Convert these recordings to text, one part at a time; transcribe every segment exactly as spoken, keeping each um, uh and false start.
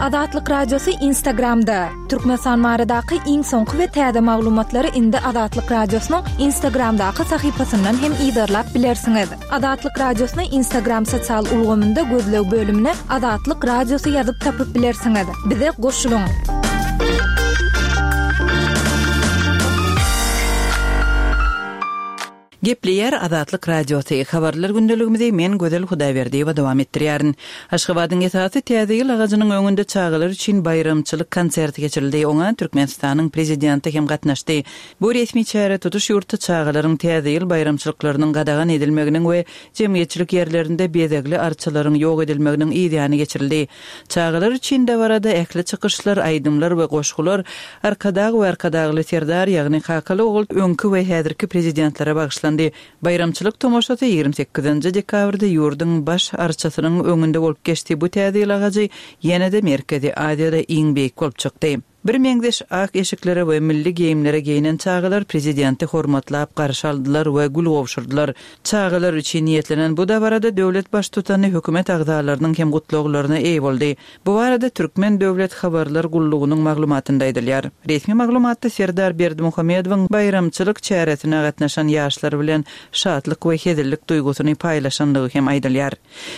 Azatlyk Radiosy Instagramda. Türkmenistan baradaky iň soňky we täze maglumatlary indi Azatlyk Radiosynyň Instagramdaky sahypasyndan hem yzarlap bilersiňiz. Azatlyk Radiosyny Instagram sosial ulgamynda gözleg bölümine Azatlyk Radiosy ýazyp tapyp bilersiňiz. Bize goşulyň. Gepleýär Azatlyk Radiosy. Habarlar gündeligimizi men Gözel Hudaýberdiýewa dowam etdirýärin. Aşgabadyň esasy Täze ýyl agajynyň öňünde çagalar üçin baýramçylyk konserti geçirildi. Oňa Türkmenistanyň prezidenti hem gatnaşdy. Bu resmi çäre tutuş ýurtda çagalaryň Täze ýyl baýramçylyklarynyň gadagan edilmeginiň we jemgyýetçilik ýerlerinde bezegli arçalaryň ýok edilmeginiň yzýany geçirildi. Çagalar üçin dabarada ähli çykyşlar, aýdymlar we goşgular Arkadag we Arkadagly Serdar, ýagny Kakaly ogul öňki we häzirki prezidentlere bagyşlandy. Baýramçylyk tomaşasy ýigrimi sekizinji dekabrda ýurduň baş arçasynyň öňünde bolup geçdi. Bu Täze ýyl agajy ýene-de Merkezi Aziýada iň beýik bolup çykdy. Bir meňzeş ak eşiklere we milli geýimlere geýinen çagalar prezidenti hormatlap garşy aldylar we gül gowşurdylar. Çagalar üçin niýetlenen bu dabarada döwlet baştutany hökümet agzalarynyň hem gutlaglaryna eýe boldy. Bu barada Türkmen döwlet habarlar gullugynyň maglumatynda aýdylýar. Resmi maglumatda Serdar Berdimuhamedowyň baýramçylyk çäresine gatnaşan ýaşlar bilen şatlyk we hezillik duýgusyny paýlaşandygy hem aýdylýar.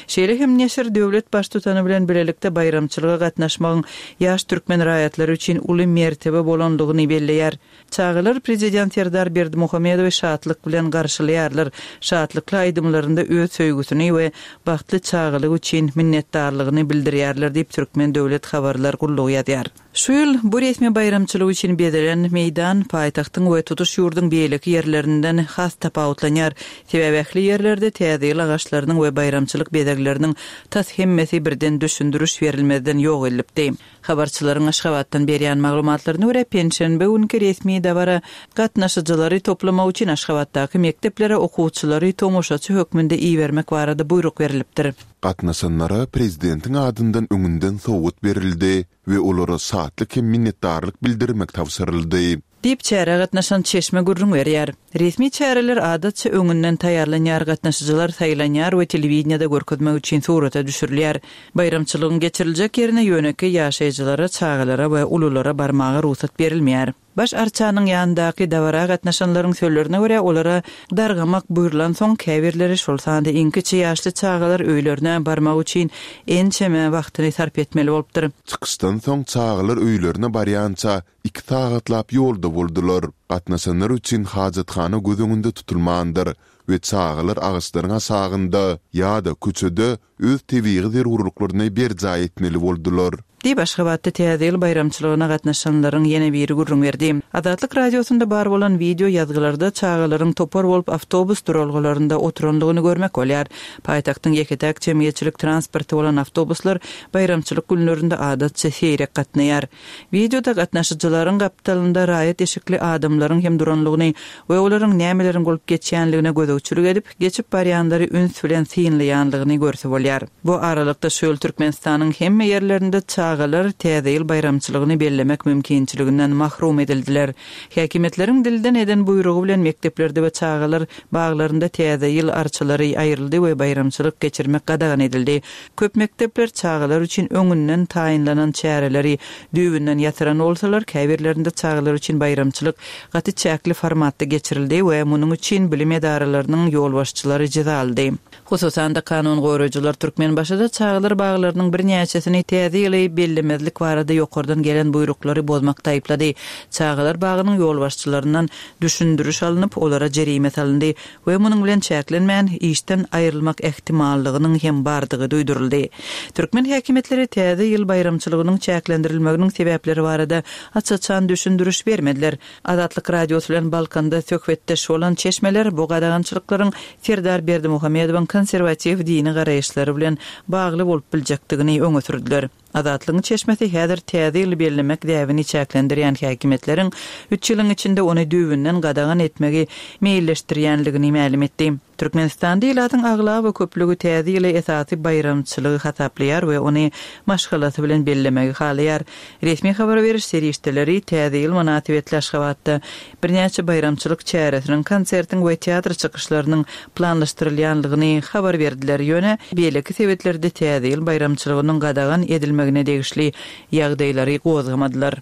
Şeýle hem neşir döwlet baştutany bilen birlikde baýramçylyga gatnaşmagyň ýaş türkmen raýatlary üçin uly mertebe bolandygyny belleýär. Çagalar prezident Serdar Berdimuhamedowy şatlyk bilen garşylaýarlar. Şatlykly aýdymlarynda öz söýgüsini we bagtly çagalyk üçin minnetdarlygyny bildirýärler diýip Türkmen döwlet habarlar gullugy ýazýar. Şu ýyl bu resmi baýramçylyk üçin bezelen meýdan paýtagtyň we tutuş ýurduň beýleki ýerlerinden has tapawutlanýar. Sebäbi ähli ýerlerde Täze ýyl agaçlarynyň we baýramçylyk bezegleriniň tas hemmesi birden düşündiriş berilmezden ýok edilipdi. Habarçylaryň Aşgabatdan berýän maglumatlaryna görä penşenbe günki resmi dabara gatnaşyjylary toplamak üçin Aşgabatdaky mekdeplere okuwçylary tomaşaçy hökmünde ibermek barada buýruk berilipdir. Gatnaşanlara prezidentiň adyndan öňünden sowgat berildi we olara şatlyk hem minnetdarlyk bildirmek tabşyryldy. Diýip çärä gatnaşan çeşme gürrüň berýär. Resmi çäreler adatça öňünden taýýarlanýar, gatnaşyjylar saýlanýar we telewideniýede görkezmek üçin surata düşürilýär. Baýramçylygyň geçiriljek ýerine ýönekeý ýaşaýjylara, çagalara we ululara barmaga rugsat berilmeýär. Baş arçanyň ýanyndaky dabara gatnaşanlaryň sözlerine görä olara dargamak buýrulan soň käbirleri şol sanda iň kiçi ýaşly çagalar öýlerine barmak üçin ençeme wagtyny sarp etmeli bolupdyr. Çykyşdan soň çagalar öýlerine barýança iki sagatlap ýolda boldular. Gatnaşanlar üçin hajathana göz öňünde tutulmandyr we çagalar agaçlaryň aşagynda ýa-da köçede öz tebigy zerurlyklaryny berjaý etmeli boldular. Diýip Aşgabatda Täze ýyl baýramçylygyna gatnaşanlaryň ýene biri gürrüň berdi. Azatlyk Radiosynda bar bolan wideo ýazgylarda çagalaryň topar bolup awtobus duralgalarynda oturandygyny görmek bolýar. Paýtagtyň ýeke-täk jemgyýetçilik transporty bolan awtobuslar baýramçylyk günlerinde adatça seýrek gatnaýar. Wideoda gatnaşyjylaryň gapdalynda raýat eşikli adamlaryň hem duranlygyny we olaryň nämeleriň bolup geçýänligine gözegçilik edip, geçip barýanlary üns bilen synlaýanlygyny görse bolýar. Bu aralykda şu ýyl Türkmenistanyň hemme ýerlerinde çagalar Täze ýyl baýramçylygyny bellemek mümkinçiliginden mahrum edildiler. Häkimiýetleriň dilden eden buýrugy bilen mekdeplerde we çagalar baglarynda Täze ýyl arçalary aýryldy we baýramçylyk geçirmek gadagan edildi. Köp mekdepler çagalar üçin öňünden taýynlanan çäreleri düýbünden ýatyran bolsalar, käbirlerinde çagalar üçin baýramçylyk gaty çäkli formatda geçirildi we munuň üçin bilim edaralarynyň ýolbaşçylary jeza aldy. Hususan-da kanun goraýjylar Türkmenbaşyda çagalar baglarynyň birnäçesini Täze ýyly bellemezlik barada ýokardan gelen buýruklary bozmakda aýyplady. Çagalar bagynyň ýolbaşçylaryndan düşündiriş alnyp, olara jerime salyndy we munuň bilen çäklenmän işden aýrylmak ähtimallygynyň hem bardygy duýduryldy. Türkmen häkimiýetleri Täze ýyl baýramçylygynyň çäklendirilmeginiň sebäpleri barada aç-açan düşündiriş bermediler. Azatlyk Radiosy bilen Balkanda söhbetdeş bolan çeşmeler bu gadagançylyklaryň Serdar Berdimuhamedowyň konserwatiw dini garaýyşlary bilen bagly bolup biljekdigini öňe sürdüler. Azatlygyň çeşmesi häzir Täze ýyly bellemek däbini çäklendirýän häkimiýetleriň üç ýylyň içinde ony düýbünden gadagan etmegi meýilleşdirýänligini mälim etdi. Türkmenistanda ilatyň aglaba köplügi Täze ýyly esasy baýramçylygy hasaplaýar we ony maşgalasy bilen bellemegi halaýar. Resmi habar beriş serişdeleri Täze ýyl mynasybetli Aşgabatda birnäçe baýramçylyk çäresiniň, konsertiň we teatr çykyşlarynyň planlaşdyrylýanlygyny habar berdiler. Ýöne beýleki sebetlerde Täze ýyl baýramçylygynyň gadagan edilmegine edilmegine degişli ýagdaýlary gozgamadylar.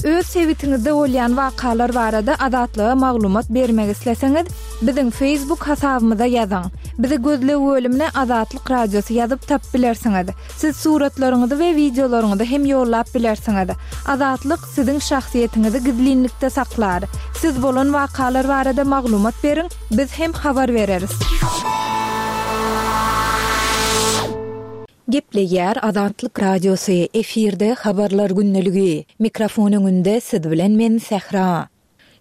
Öz sebitiňizde bolýan wakalar barada Azatlyga maglumat bermek isleseňiz, biziň Facebook hasabymyza ýazyň. Bizi gözleg bölümine Azatlyk Radiosy ýazyp tapyp bilersiňiz. Siz suratlaryňyzy we wideolaryňyzy hem ýollap bilersiňiz. Azatlyk siziň şahsyýetiňizi gizlinlikde saklar. Siz bolan wakalar barada maglumat beriň, biz hem habar bereris. Gepleýär Azatlyk Radiosy, efirde habarlar gündeligi. Mikrofon öňünde siz bilen men Sähra.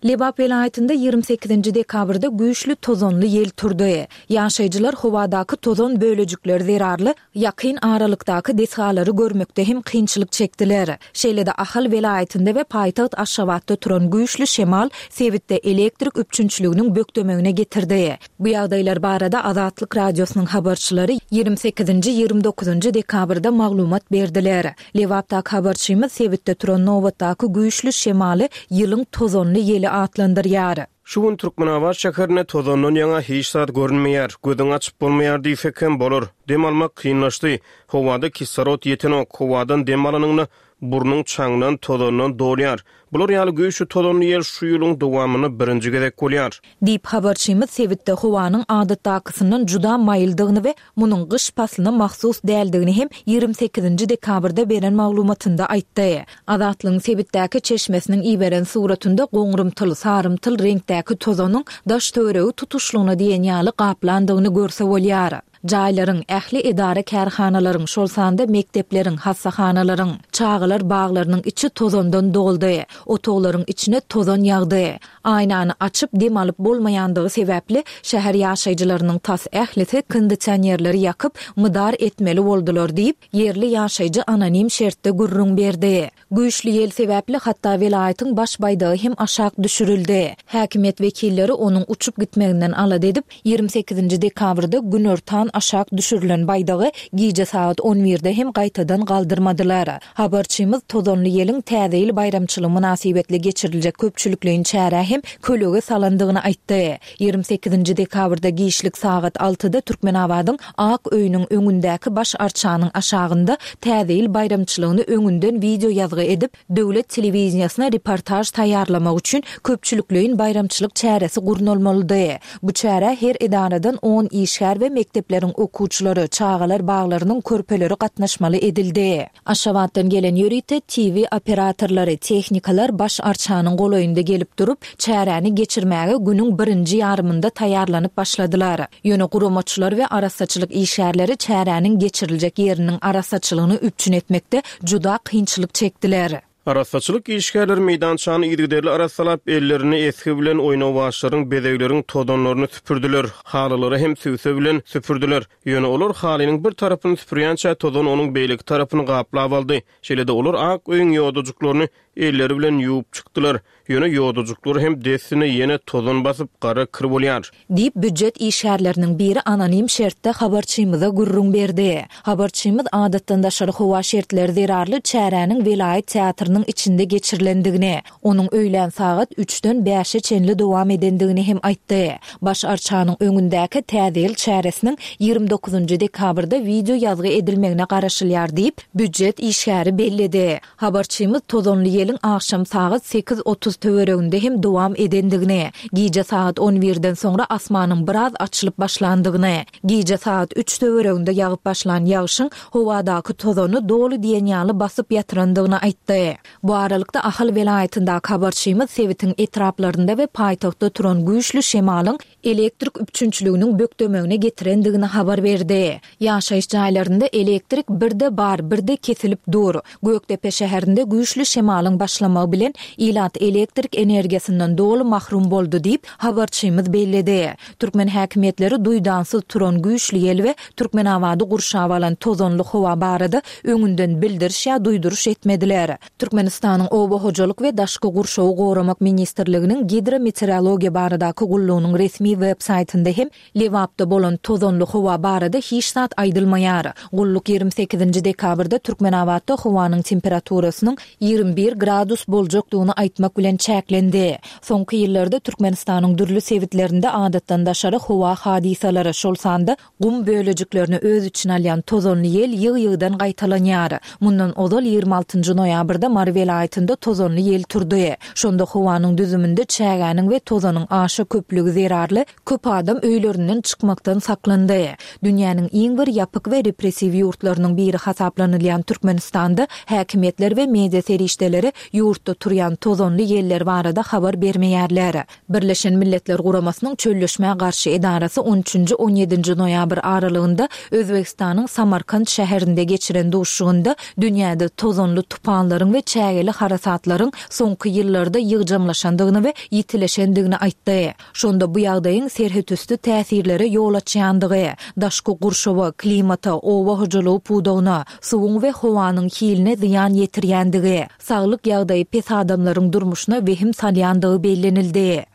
Lebap welaýatynda ýigrimi sekizinji dekabrda güýçli tozanly ýel turdy. Ýaşaýjylar howadaky tozan bölejikleri zerarly ýakyn aralykdaky desgalary görmekde hem kynçylyk çekdiler. Şeýle-de Ahal welaýatynda we paýtagt Aşgabatda turan güýçli şemal sebitde elektrik üpjünçiliginiň bökdemegine getirdi. Bu ýagdaýlar barada Azatlyk Radiosynyň habarçylary ýigrimi sekizinji, ýigrimi dokuzynjy dekabrda maglumat berdiler. Lebapdaky habarçymyz sebitde turan nobatdaky güýçli şemaly ýylyň tozanly ýeli atlandyrýar. Şu gün Türkmenabat şäherinde tozandan ýaňa hiç zat görünmeýär, gözüň açyp bolmaýar diýsek hem bolar. Dem almak kynlaşdy. Howada kislorod ýetenok, howadan dem alanyňda burnuň çaňdan, tozandan dolýar. Bular ýaly güýçli tozanly ýel şu ýylyň dowamynda birinji gezek bolýar. Diýip habarçymyz sebitde howanyň adatdakysyndan juda maýyldygyny we munuň gyş paslyna mahsus däldigini hem ýigrimi sekizinji dekabrda beren maglumatynda aýtdy. Azatlygyň sebitdäki çeşmesiniň iberen suratynda goňrumtyl, sarymtyl reňkdäki tozanyň daş töweregi tutuşlygyna diýen ýaly gaplandygyny görse bolýar. Jaýlaryň, ähli edara kärhanalaryň, şol sanda mekdepleriň, hassahanalaryň, çagalar baglarynyň içi tozandan doldy. Otaglaryň içine tozan ýagdy. Aýnany açyp dem alyp bolmaýandygy sebäpli şäher ýaşaýjylarynyň tas ählisi kondisionerleri ýakyp, mydar etmeli boldular diýip, ýerli ýaşaýjy anonim şertde gürrüň berdi. Güýçli ýel sebäpli hatda welaýatyň baş baýdagy hem aşak düşürildi. Häkimiýet wekilleri onuň uçup gitmeginden alada edip, ýigrimi sekizinji dekabrda günortan aşak düşürilen baýdagy gije sagat on birde hem gaýtadan galdyrmadylar. Habarçymyz tozanly ýeliň Täze ýyl baýramçylygy mynasybetli geçiriljek köpçülikleýin çärä hem kölege salandygyny aýtdy. Ýigrimi sekizinji dekabrda giçlik sagat altyda Türkmenabadyň Ak öýüniň öňündäki baş arçanyň aşagynda Täze ýyl baýramçylygyny öňünden wideo ýazgy edip, döwlet telewideniýesine reportaž taýýarlamak üçin köpçülikleýin baýramçylyk çäresi gurnalmalydy. Bu çärä her edaradan on işgär we mekdepleriň okuwçylary, çagalar baglarynyň körpeleri gatnaşmaly edildi. Aşgabatdan gelen ýörite T V operatorlary, tehnikalar baş arçanyň golaýynda gelip durup, çäräni geçirmäge günüň birinji ýarymynda taýýarlanyp başladylar. Ýöne guramaçylar we arassaçylyk işgärleri çäräniň geçiriljek ýeriniň arassaçylygyny üpjün etmekde juda kynçylyk çekdiler. Arassaçylyk işgärleri meýdançany yzygiderli arassalap, ellerini esgi bilen oýnawaçlaryň, bezegleriň tozanlaryny süpürdiler, halylary hem sübse bilen süpürdiler. Ýöne olar halynyň bir tarapyny süpürýänçä tozan onuň beýleki tarapyny gaplap aldy. Şeýle-de olar ak öýüň ýodajyklaryny elleri bilen ýuwup çykdylar. Ýöne ýodajyklar hem dessine ýene tozan basyp, gara kir bolýar. Diýip, býujet işgärleriniň biri anonim şertde habarçymyza gürrüň berdi. Habarçymyz adatdan daşary howa şertleri zerarly çäräniň welaýat teatrynyň içinde geçirilendigini, onuň öýlän sagat üçden bäşe çenli dowam edendigini hem aýtdy. Baş arçanyň öňündäki Täze ýyl çäresiniň ýigrimi dokuzynjy dekabrda wideo ýazgy edilmegine garaşylýar diýip, býujet işgäri belledi. Habarçymyz tozanly ýeliň akşam sagat sekiz otuz töwereginde hem dowam edendigini, gije sagat on birden soňra asmanyň biraz açylyp başlandygyny, gije sagat üç töwereginde ýagyp başlan ýagşyň howadaky tozany doly diýen ýaly basyp ýatyrandygyny aýtdy. Bu aralykda Ahal welaýatyndaky habarçymyz sebitiň etraplarynda we paýtagtda turan güýçli şemalyň elektrik üpjünçiliginiň bökdemegine getirendigini habar berdi. Ýaşaýyş jaýlarynda elektrik birde bar, birde kesilip dur. Gökdepe şäherinde güýçli şemalyň başlamagy bilen ilat elektrik energiýasyndan doly mahrum boldy diýip, habarçymyz belledi. Türkmen häkimiýetleri duýdansyz turan güýçli ýel we Türkmenabady gurşap alan tozanly howa barada öňünden bildiriş ýa duýduryş etmediler. Türkmenistanyň Oba hojalyk we daşky gurşawy goramak ministrliginiň gidrometeorologiýa baradaky gullugynyň resmi web saýtynda hem Lebapda bolan tozanly howa barada hiç zat aýdylmaýar. Gulluk ýigrimi sekizinji dekabrda Türkmenabatda howanyň temperaturasynyň ýigrimi bir gradus boljakdygyny aýtmak bilen bilen çäklendi. Soňky ýyllarda Türkmenistanyň dürli sebitlerinde adatdan daşary howa hadysalary, şol sanda gum bölejiklerini öz içine alýan tozanly ýel ýygy-ýygydan gaýtalanýar. Mundan ozal ýigrimi altynjy noýabrda Mary welaýatynda tozanly ýel turdy. Şonda howanyň düzüminde çägäniň we tozanyň aşa köplügi zerarly köp adam öýlerinden çykmakdan saklandy. Dünýäniň iň bir ýapyk we repressiw ýurtlarynyň biri hasaplanylýan Türkmenistanda häkimiýetler we media serişdeleri ýurtda turýan tozanly ýeller barada habar bermeýärler. Birleşen Milletler Guramasynyň Çölleşmä garşy edarasy on üçünji on ýedinji noýabr aralygynda Özbegistanyň Samarkant şäherinde geçiren duşuşygynda dünýäde tozanly tupanlaryň we çägeli harasatlaryň soňky ýyllarda ýygjamlaşandygyny we ýitileşendigini aýtdy. Şonda bu ýagdaýyň serhetüsti täsirlere ýol açýandygy, daşky gurşawa, klimata, oba hojalygy pudagyna, suwuň we howanyň hiline zyýan ýetirýändigi, saglyk ýagdaýy pes adamlaryň durmuşyna wehim salýandygy bellenildi.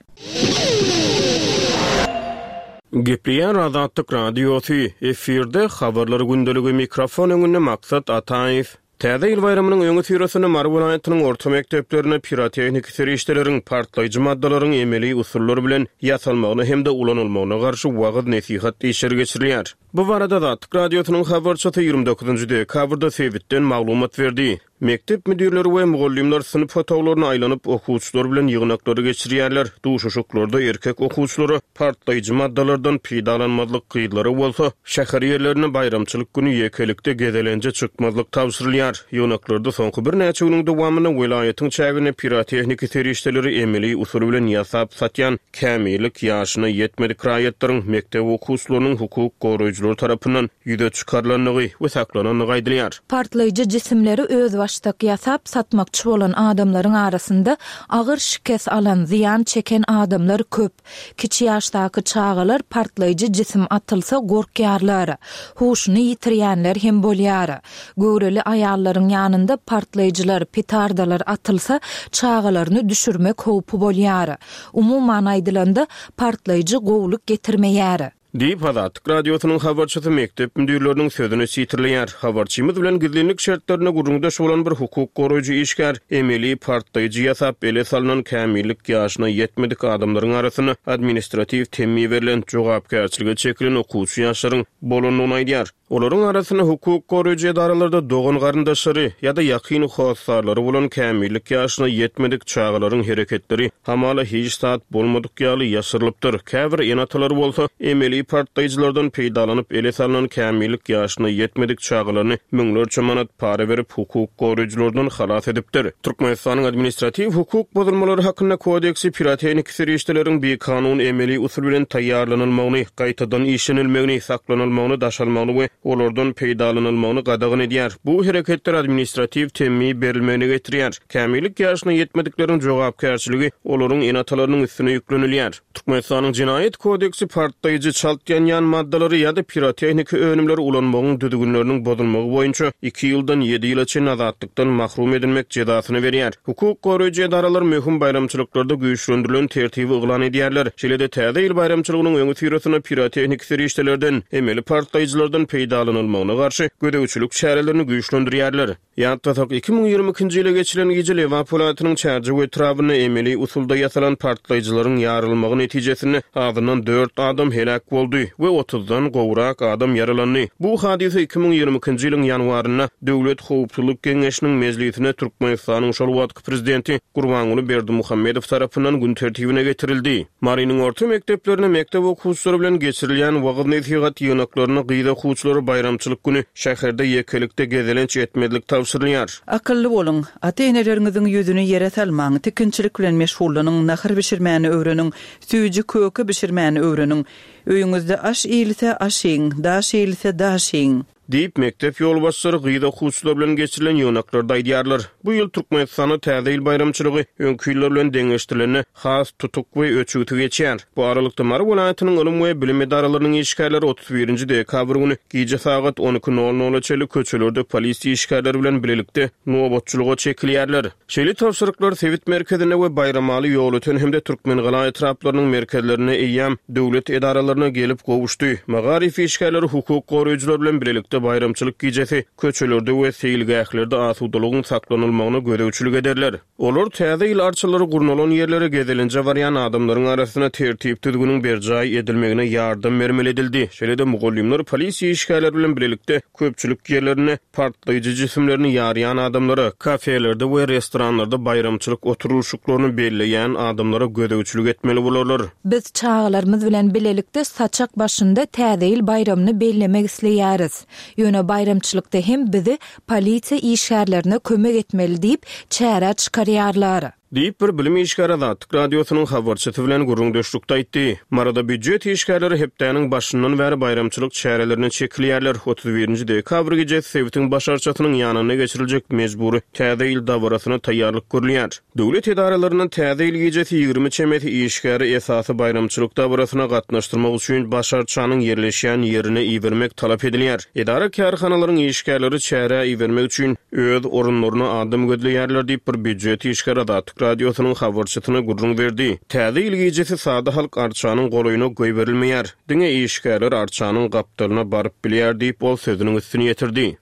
Gepleýär Azatlyk Radiosy, efirde Habarlar gündeligi, mikrofon öňünde Maksat Ataýew. Täze ýyl baýramynyň öňüsyrasynda Mary welaýatynyň orta mekdeplerinde pirotehniki serişdeleriň, partlaýjy maddalaryň emeli usullar bilen ýasalmagyna hem-de ulanylmagyna garşy wagyz-nesihat işleri geçirilýär. Bu barada Azatlyk Radiosynyň habarçysy ýigrimi dokuzynjy dekabrda sebitden maglumat berdi. Mekdep müdirleri we mugallymlar synp otaglaryna aýlanyp, okuwçylar bilen ýygnaklary geçirýärler. Duşuşyklarda erkek okuwçylara partlaýjy maddalardan peýdalanmazlyk, gyzlara bolsa şäher ýerlerine baýramçylyk güni ýekelikde gezelenje çykmazlyk tabşyrylýar. Ýygnaklarda soňky birnäçe günüň dowamynda welaýatyň çäginde pirotehniki serişdeleri emeli usul bilen ýasap satýan kämillik ýaşyna ýetmedik raýatlaryň mekdep okuwçylarynyň hukuk goraýjylary tarapyndan ýüze çykarylandygy we saklanandygy aýdylýar. Partlaýjy jisimleri özbaşdak ýasap satmakçy bolan adamlaryň arasynda agyr şikes alan, zyýan çeken adamlar köp. Kiçi ýaşdaky çagalar partlaýjy jisim atylsa gorkýarlar. Huşuny ýitirýänler hem bolýar. Göwreli aýallaryň ýanynda partlaýjylar, petardalar atylsa çagalaryny düşürmek howpy bolýar. Umuman aýdylanda partlaýjy gowulyk getirmeýär. Diýip, Azatlyk Radiosynyň habarçysy mekdep müdirleriniň sözüni sitirleýär. Habarçymyz bilen gizlinlik şertlerinde gürrüňdeş bolan bir hukuk goraýjy işgär emeli partlaýjy ýasap ele salynan kämillik ýaşyna ýetmedik adamlaryň arasynda administratiw temmi berlen jogapkärçilige çekilen okuwçy ýaşlaryň bolandygyny aýdýar. Olaryň arasynda hukuk goraýjy edaralarda dogan garyndaşlary ýa-da ýakyn hossarlary bolan kämillik ýaşyna ýetmedik çagalaryň hereketleri hamala hiç zat bolmadyk ýaly ýaşyrylypdyr. Käbir ene-atalar bolsa emeli partlaýjylardan peýdalanyp ele salynan kämillik ýaşyna ýetmedik çagalaryny müňlerçe manat para berip hukuk goraýjylardan halas edipdir. Türkmenistanyň administratiw hukuk bozulmalary hakynda kodeksi pirotehniki serişdeleriň bikanun emeli usul bilen taýýarlanylmagyny, gaýtadan işlenilmegini, saklanylmagyny, daşalmagyny we olardan peýdalanylmagyny gadagan edýär. Bu hereketler administratiw temmi berilmegine getirýär. Kämillik ýaşyna ýetmedikleriň jogapkärçiligi olaryň ene-atalarynyň üstüne ýüklenilýär. Türkmenistanyň Jenaýat kodeksi partlaýjy çalt ýanýan maddalary ýa-da pirotehniki önümleri ulanmagyň düzgünleriniň bozulmagy boýunça iki ýyldan ýedi ýyla çenli azatlykdan mahrum edilmek jezasyny berýär. Hukuk goraýjy edaralar möhüm baýramçylyklarda güýçlendirilen tertibi yglan edýärler. Şeýle-de täze ýyl baýramçylygynyň öňüsyrasynda pirotehniki serişdelerden, emeli partlaýjylardan peýdalanylmagyna garşy gözegçilik çärelerini güýçlendirýärler. Ýatlasak, iki müň ýigrimi ikinji ýyla geçilen gije Lebap welaýatynyň Çärjew etrabynda emeli usulda ýasalan partlaýjylaryň ýarylmagy netijesinde azyndan dört adam heläk boldy we otuzdan gowrak adam ýaralandy. Bu hadysa iki müň ýigrimi ikinji ýylyň ýanwarynda Döwlet Howpsuzlyk Geňeşiniň mejlisine Türkmenistanyň şol wagtky prezidenti Gurbanguly Berdimuhamedow tarapyndan gün tertibine getirildi. Marynyň orta mekdeplerine mekdep okuwçylary bilen geçirilýän wagyz-nesihat ýygnaklaryna gyz okuwçylary baýramçylyk güni şäherde ýekelikde gezelenç etmezlik tabşyrylýar. Akylly boluň, ata-eneleriňiziň ýüzüni ýere salmaň, tikinçilik bilen meşgullanyň, nahar bişirmäni öwreniň, süýji köke bişirmäni öwreniň. Öýüňizde aş iýilse aş iýiň, daş iýilse daş iýiň. Diýip, mekdep ýolbaşçylary gyz okuwçylar bilen geçirilen ýygnaklarda aýdýarlar. Bu ýyl Türkmenistanda täze ýyl baýramçylygy öňki ýyllar bilen deňeşdirilende has tutuk we öçügsi geçýär. Bu aralykda Mary welaýatynyň ylym we bilim edaralarynyň işgärleri otuz birinji dekabr güni gije sagat on iki nol nola çenli köçelerde polisiýa işgärleri bilen bilelikde nobatçylyga çekilýärler. Şeýle tabşyryklar sebit merkezinde we Baýramaly Ýolöten hem-de Türkmengala etraplarynyň merkezlerinde eýýäm döwlet edaralaryna gelip gowuşdy. Magaryf işgärleri hukuk goraýjylar bilen bilelikde bilelikde baýramçylyk gijesi köçelerde we seýilgählerde asudalygyň saklanylmagyna gözegçilik ederler. Olar täze ýyl arçalary gurnalan ýerlere gezelenje barýan adamlaryň arasynda tertip-düzgüniň berjaý edilmegine ýardam bermeli edildi. Şeýle-de mugallymlar polisiýa işgärleri bilen bilelikde köpçülik ýerlerinde partlaýjy jisimlerini ýarýan adamlara, kafelerde we restoranlarda baýramçylyk oturylyşyklaryny belleýän adamlara gözegçilik etmeli bolarlar. Biz çagalarymyz bilen bilelikde saçak başynda Täze ýyl baýramyny bellemek isleýäris. Ýöne baýramçylykda hem bizi polisiýa işgärlerine kömek etmeli diýip, çärä çykarýarlar. Diýip, bir bilim işgäri Azatlyk Radiosynyň habarçysy bilen gürrüňdeşlikde aýtdy. Maryda býujet işgärleri hepdäniň başyndan bäri baýramçylyk çärelerine çekilýärler. Otuz birinji dekabr gijesi sebitiň baş arçasynyň ýanynda geçiriljek mejbury Täze ýyl dabarasyna taýýarlyk görülýär. Döwlet edaralaryndan Täze ýyl gijesi ýigrimi çemesi işgäri esasy baýramçylyk dabarasyna gatnaşdyrmak üçin baş arçanyň ýerleşýän ýerine ibermek talap edilýär. Edara-kärhanalaryň işgärleri çärä ibermek üçin öz orunlaryna adam gözleýärler diýip, bir býujet işgäri Azatlyk Radiosynyň habarçysyna gürrüň berdi. Täze ýyl gijesi sada halk arçanyň golaýyna goýberilmeýär. Diňe işgärler arçanyň gapdalyna baryp bilýär diýip, ol sözüniň üstüni ýetirdi.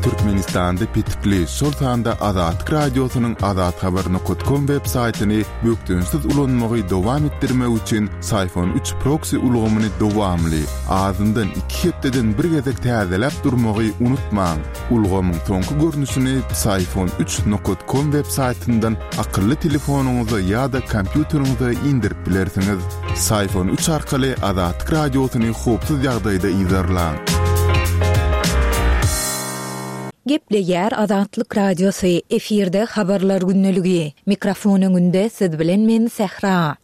Türkmenistanda petikli, şol sanda Azatlyk Radiosynyň azathabar nokat kom web saýtyny bökdençsiz ulanmagy dowam etdirmek üçin Syfon üç proksi ulgamyny dowamly, azyndan iki hepdeden bir gezek täzeläp durmagy unutmaň. Ulgamyň soňky görnüşini Syfon üç nokat kom web saýtyndan akylly telefonyňyza ýa-da kompýuteriňize indirip bilersiňiz. Syfon üç arkaly Azatlyk Radiosyny howpsuz ýagdaýda yzarlaň. Gepleýär Azatlyk Radiosy, efirde habarlar gündeligi. Mikrofon öňünde siz bilen men Sähra.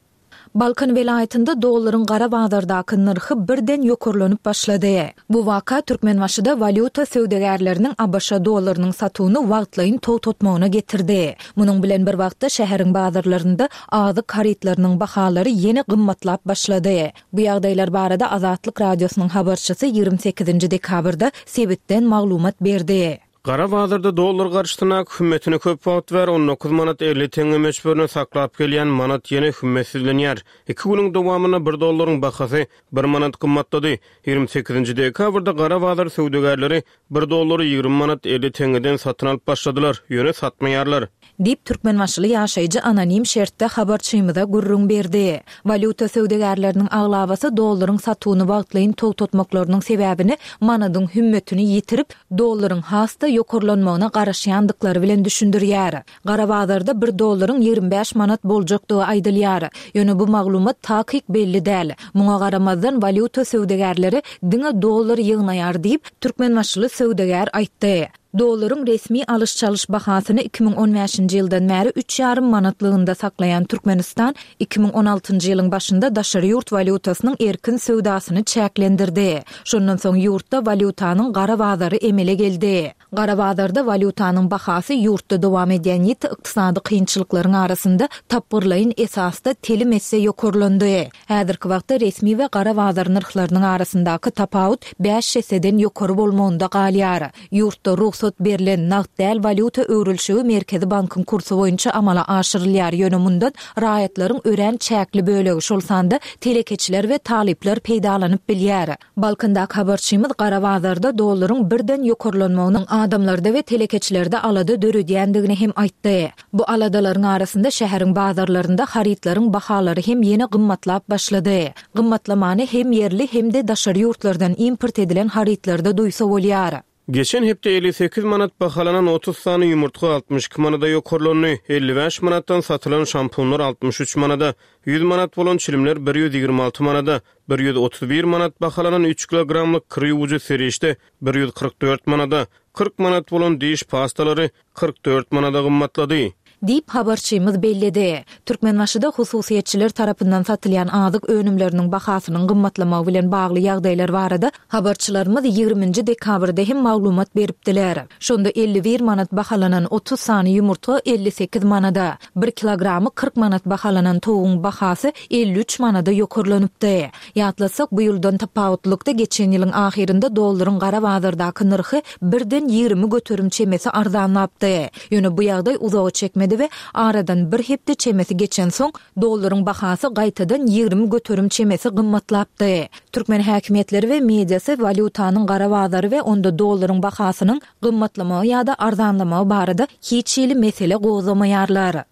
Balkan welaýatynda dollaryň gara bazardaky nyrhy birden ýokarlanyp başlady. Bu waka Türkmenbaşyda walýuta söwdagärleriniň A B Ş dollarynyň satuwyny wagtlaýyn togtatmagyna getirdi. Munuň bilen bir wagtda şäheriň bazarlarynda azyk harytlarynyň bahalary ýene gymmatlap başlady. Bu ýagdaýlar barada Azatlyk Radiosynyň habarçysy ýigrimi sekizinji dekabrda sebitden maglumat berdi. Gara bazarda dollar garşysyna hümmetini köp wagt bäri on dokuz manat elli teňňe möçberine saklap gelýän manat ýene hümmetsizlenýär. Iki günüň dowamynda bir dollaryň bahasy bir manat gymmatlady. Ýigrimi sekizinji dekabrda gara bazar söwdagärleri bir dollary ýigrimi manat elli teňňeden satyn alyp başladylar, ýöne satmaýarlar. Diýip, Türkmenbaşyly ýaşaýjy anonim şertde habarçymyza gürrüň berdi. Walýuta söwdagärleriniň aglabasy dollaryň satuwyny wagtlaýyn togtatmaklarynyň sebäbini manadyň hümmetini ýitirip, dollaryň has-da ýokarlanmagyna garaşýandyklary bilen düşündirýär. Gara bazarda bir dollaryň ýigrimi bäş manat boljakdygy aýdylýar. Ýöne bu maglumat takyk belli däl. Muňa garamazdan walýuta söwdagärleri diňe dollar ýygnaýar diýip, Türkmenbaşyly söwdagär aýtdy. Dollaryň resmi alyş-çalyş bahasyny iki müň on bäşinji ýyldan bäri üç ýarym manatlygynda saklaýan Türkmenistan iki müň on altynjy ýylyň başynda daşary ýurt walýutasynyň erkin söwdasyny çäklendirdi. Şondan soň ýurtda walýutanyň gara bazary emele geldi. Gara bazarda walýutanyň bahasy ýurtda dowam edýän ýiti ykdysady kynçylyklaryň arasynda tapgyrlaýyn esasda telim esse ýokarlandy. Häzirki wagtda resmi we gara bazar nyrhlarynyň arasyndaky tapawut bäş esseden ýokary bolmagynda galýar. Ýurtda rugsat berlen nagt däl walýuta öwrülişigi Merkezi bankyň kursy boýunça amala aşyrylýar. Ýöne mundan raýatlaryň örän çäkli bölegi, şol sanda telekeçiler we talyplar peýdalanyp bilýär. Balkandaky habarçymyz gara bazarda dollaryň birden ýokarlanmagynyň adamlarda we telekeçilerde alada döredýändigini hem aýtdy. Bu aladalaryň arasynda şäheriň bazarlarynda harytlaryň bahalary hem ýene gymmatlap başlady. Gymmatlamany hem ýerli hem-de daşary ýurtlardan import edilen harytlarda duýsa bolýar. Geçen hepde elli sekiz manat bahalanan otuz sany ýumurtga altmyş iki manada ýokarlandy. Elli bäş manatdan satylan şampunlar altmyş üç manada, ýüz manat bolan çilimler bir ýüz ýigrimi alty manada, bir ýüz otuz bir manat bahalanan üç kilogramlyk kir ýuwujy serişde bir ýüz kyrk dört manada, kyrk manat bolan diş pastalary kyrk dört manada gymmatlady. Diýip habarçymyz belledi. Türkmenbaşyda hususyýetçiler tarapyndan satylýan azyk önümleriniň bahasynyň gymmatlamagy bilen bagly ýagdaýlar barada habarçylarymyz ýigriminji dekabrda hem maglumat beripdiler. Şonda elli bir manat bahalanan otuz sany ýumurtga elli sekiz manada, bir kilogramy kyrk manat bahalanan towuň bahasy elli üç manada ýokarlanypdy. Ýatlasak, bu ýyldan tapawutlykda geçen ýylyň ahyrynda dollaryň gara bazardaky nyrhy birden ýigrimi göterim çemesi arzanlapdy. Ýöne bu ýagdaý uzaga çekmedi pesledi we aradan bir hepde çemesi geçensoň, dollaryň bahasy gaýtadan ýigrimi göterim çemesi gymmatlapdy. Türkmen häkimiýetleri we mediasy walýutanyň gara bazary we onda dollaryň bahasynyň gymmatlamagy ýa-da arzanlamagy barada hiç hili mesele gozgamaýarlar.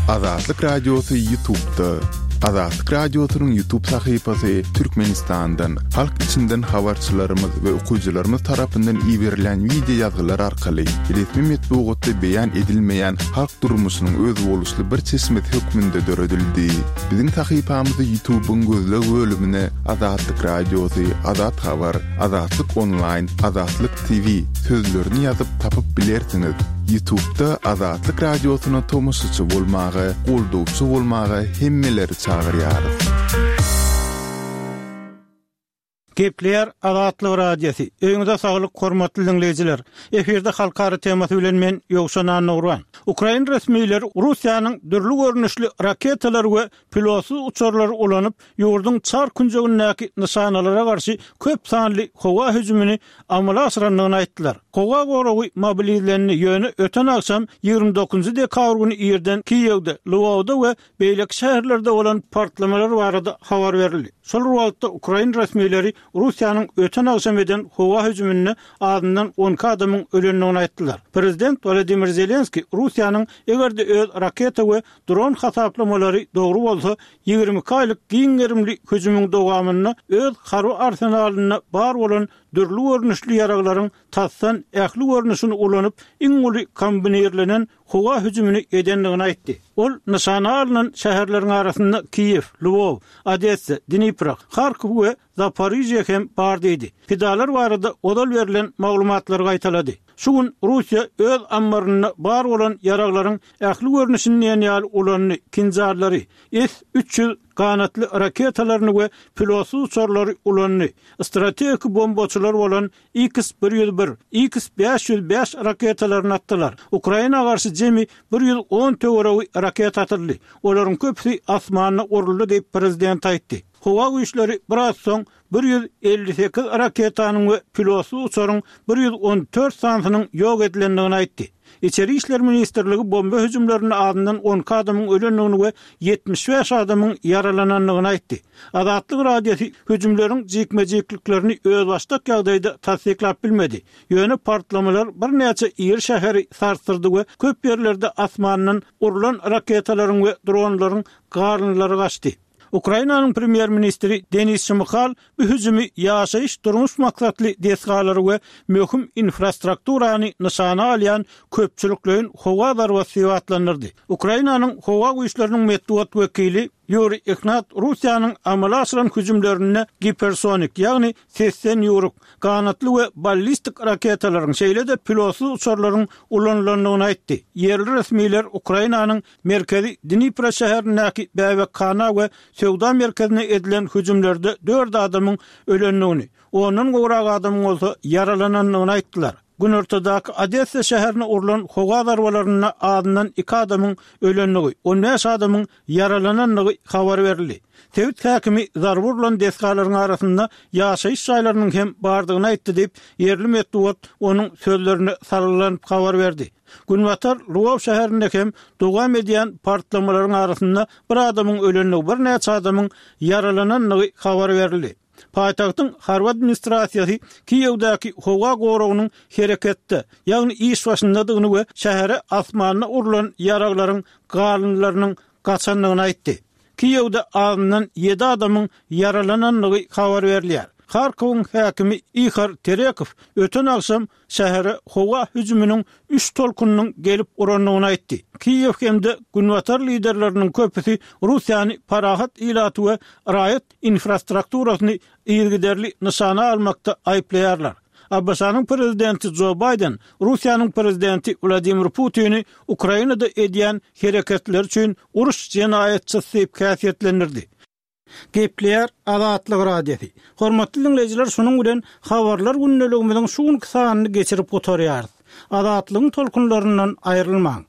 Azatlyk Radiosy YouTube'da. Azatlyk Radiosynyň YouTube sahypasy Türkmenistandan, halk içinden habarçylarymyz we okyjylarymyz tarapyndan iberilen wideo ýazgylar arkaly resmi metbugatda beýan edilmeýän halk durmuşynyň özboluşly bir çeşmesi hökmünde döredildi. Biziň sahypamyzy YouTube'yň gözleg bölümine Azatlyk Radiosy, Azat Habar, Azatlyk Online, Azatlyk T V sözlerini ýazyp tapyp bilersiňiz. YouTube'da Azatlyk Radiosyna tomaşaçy bolmaga, goldawçy bolmaga hemmeleri çagyrýarys. Gepleýär Azatlyk Radiosy. Öýüňize saglyk, hormatly dinleýjiler. Efirde halkara temasy bilen men Ýowşan Annagurban. Ukrain resmileri Russiýanyň dürli görnüşli raketalar we pilotsyz uçarlary ulanyp, ýurduň çar künjegindäki nyşanalara garşy köp sanly howa hüjümini amala aşyrandygyny aýtdylar. Howa goragy mobilizlendi, ýöne öten agşam ýigrimi dokuzynjy dekabr güni irden Kiýewde, Lwowda we beýleki şäherlerde bolan partlamalar barada habar berildi. Şol wagtda Ukrain resmileri Russiýanyň öten agşam eden howa hüjüminde azyndan on iki adamyň ölendigini aýtdylar. Prezident Wladimir Zelenski Russiýanyň eger-de öz raketa we dron hasaplamalary dogry bolsa, ýigrimi iki aýlyk giň gerimli hüjümiň dowamynda öz harby arsenalynda bar bolan dürli görnüşli ýaraglaryň tasdan ähli görnüşini ulanyp, iň uly kombinirlenen howa hüjümini edendigini aýtdy. Ol nyşana alnan şäherleriň arasynda Kiýew, Lwow, Odessa, Dnipro, Harkow we Zaporijýe hem bar diýdi. Pidalar barada ozal berlen maglumatlary gaýtalady. Şu gün Russiýa öz ammarynda bar bolan ýaraglaryň ähli görnüşini diýen ýaly ulandy, kinjarlary, S üç ýüz ganatly raketalaryny we pilotsyz uçarlary ulandy. Strategik bombaçylar bolan X bir ýüz bir, X bäş ýüz bäş raketalaryny atdylar. Ukraina garşy jemi bir ýüz on töweregi raketa atyldy. Olaryň köpüsi asmanda uruldy diýip prezident aýtdy. Howa güýçleri biraz soň bir ýüz elli sekiz raketanyň we pilotsyz uçaryň bir ýüz on dört sanysynyň ýok edilendigini aýtdy. Içeri işler ministrligi bomba hüjümlerinde azyndan on iki adamyň ölendigini we ýetmiş bäş adamyň ýaralanandygyny aýtdy. Azatlyk Radiosy hüjümleriň jikme-jikliklerini özbaşdak ýagdaýda tassyklap bilmedi. Ýöne partlamalar birnäçe iri şäheri sarsdyrdy we köp ýerlerde asmandan urlan raketalaryň we dronlaryň garynlary gaçdy. Ukrainanyň premýer-ministri Denis Şmyhal bu hüjümi ýaşaýyş durmuş maksatly desgalary we möhüm infrastrukturany nyşana alýan köpçülikleýin howa zarbasy diýip atlandyrdy. Ukrainanyň howa güýçleriniň metbugat wekili Ýuri Ignat Russiýanyň amala aşyran hüjümlerinde gipersonik, ýagny sesden ýuruk, ganatly we ballistik raketalaryň, şeýle-de pilotsyz uçarlaryň ulanylandygyny aýtdy. Ýerli resmiler Ukrainanyň merkezi Dnipro şäherindäki bäbekhana we söwda merkezine edilen hüjümlerde dört adamyň ölendigini, ondan gowrak adamyň bolsa ýaralanandygyny aýtdylar. Günortadaky Odessa şäherine urlan howa zarbalarynda azyndan iki adamyň ölendigi, on bäş adamyň ýaralanandygy habar berildi. Sebit häkimi zarba urlan desgalaryň arasynda ýaşaýyş jaýlarynyň hem bardygyny aýtdy diýip, ýerli metbugat onuň sözlerine salgylanyp habar berdi. Günbatar Lwow şäherinde hem dowam edýän partlamalaryň arasynda bir adamyň ölendigi, birnäçe adamyň ýaralanandygy habar berildi. Paýtagtyň harby administrasiýasy Kiýewdäki howa goragynyň hereketde, ýagny iş başyndadygyny we şähere asmanda urlan ýaraglaryň galyndylarynyň gaçandygyny aýtdy. Kiýewde azyndan ýedi adamyň ýaralanandygy habar berilýär. Harkowyň häkimi Ihor Terekow öten agşam şähere howa hüjüminiň üç tolkunynyň gelip urandygyny aýtdy. Kiýew hem-de Günbatar liderleriniň köpüsi Russiýany parahat ilaty we raýat infrastrukturasyny yzygiderli nyşana almakda aýyplaýarlar. A B Ş-nyň prezidenti Joe Biden Russiýanyň prezidenti Wladimir Putini Ukrainada edýän hereketleri üçin uruş jenaýatçysy diýip häsiýetlendirdi. Gepleýär Azatlyk Radiosy. Hormatly dinleýjiler, şunuň bilen habarlar gündeligimiziň şu günki sanyny geçirip gutarýarys. Azatlygyň tolkunlaryndan aýrylmaň.